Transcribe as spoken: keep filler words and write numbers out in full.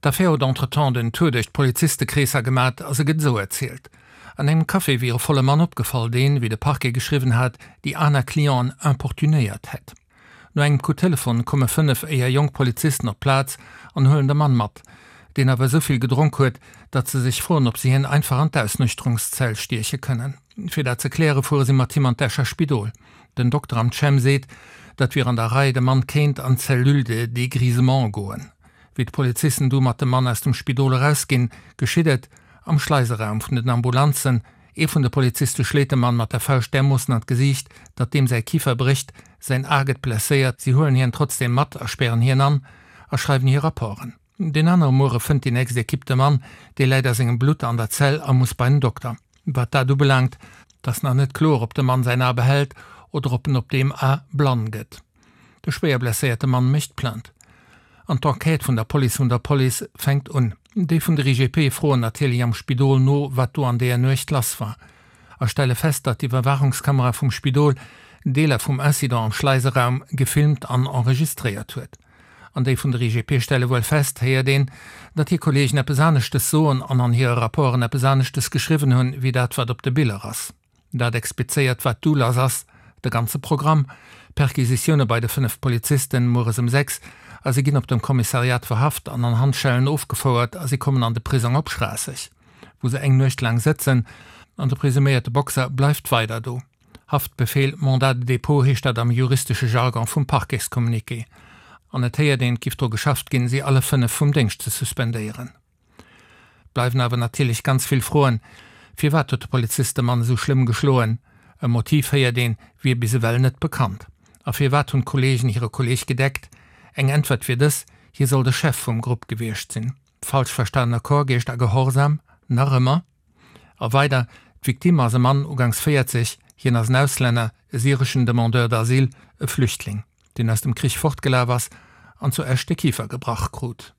D'Affär huet entretemps den Tour duerch d'Polizistekreesser gemat a se gëtt esou erzielt, An engem Café wier e volle Mann opgefall, deen, wéi de Parquet geschriwwen hat, déi aner Clienten importunéiert hätt. No engem Coup Telefon komme fënnef éier jonk Polizisten op d'Plaz an huelen de Mann mat, deen awer esou vill gedronk huet, datt se sech froen, ob se hien einfach an d'Ausnüchterungszell stieche kënnen. Fir dat ze kläre fuere si mat him an d'Escher Spidol. Den Dokter am Chem seet, dat wier an der Rei, de Mann kéint an d'Cellule de dégrisement goen. Wéi d'Polizisten du mat dem Mann aus dem Spidol erausginn, geschitt et am Schleiseraum vun den Ambulanzen, Ee vun de Poliziste schléit dem Mann mat der Fauscht därmoossen an d'Gesiicht, datt deem säi Kifer brécht, säin A gëtt blesséiert. Si huelen hien trotzdeem mat a spären hien an a schreiwen hir Rapporten. Deen anere Muere fënnt déi nächst Ekipp de Mann, dee läit a sengem Blutt an der Zell a muss bei den Dokter. Wat dat ubelaangt, 't ass nach net kloer, ob de Mann säin A behält oder ob en op deem A blann gëtt. De schwéier blesséierte Mann mécht Plainte an d'Enquête vun der Police vun der Police fänkt un. Déi vun der I G P froen natierlech am Spidol no, wat do an deeër Nuecht lass war a stelle fest, datt d'Iwwerwaachungskamera vum Spidol Deeler vum Incident am Schleiseraum gefilmt an enregistréiert huet. An déi vun der I G P stelle wuel fest, héiert een, datt hir Kolleegen eppes aneschtes soen an an hire Rapporten eppes aneschtes geschriwwen hunn, wéi dat, wat op de Biller ass. Dat explizéiert, wat du lass ass, de ganze Programm, Perquisitioune bei de fënnef Polizisten, mueres ëm sechs, a si ginn op dem Kommissariat verhaft an an Handschellen ofgefouert a si kommen an de Prisong op Schraasseg, wou se eng Nuecht laang sëtzen, an de presuméierte Boxer bleift weider do. Haftbefehl, Mandat de dépôt heescht dat am juristesche Jargon vum Parquetscommuniqué. An et héiert een, et giff dru geschafft ginn, si alle fënnef vum Déngscht ze suspendéieren. Bleiwen awer natierlech ganz vill Froen, Firwat huet de Polizist de Mann esou schlëmm geschloen? E Motiv, héiert een, wier bis ewell net bekannt. A firwat hunn d'Kolleegen hire Kolleeg gedeckt? Eng Äntwert wier dës, Hie soll de Chef vum Grupp gewiescht sinn. Falsch verstanener Chorgeescht a Gehorsam? Nach ëmmer? A weider, D'Victime ass e Mann ugangs véierzeg, hien ass en Auslänner, e syreschen Demandeur d'asile, e Flüchtling, deen aus dem Krich fortgelaf ass an zu Esch de Kifer gebrach krut.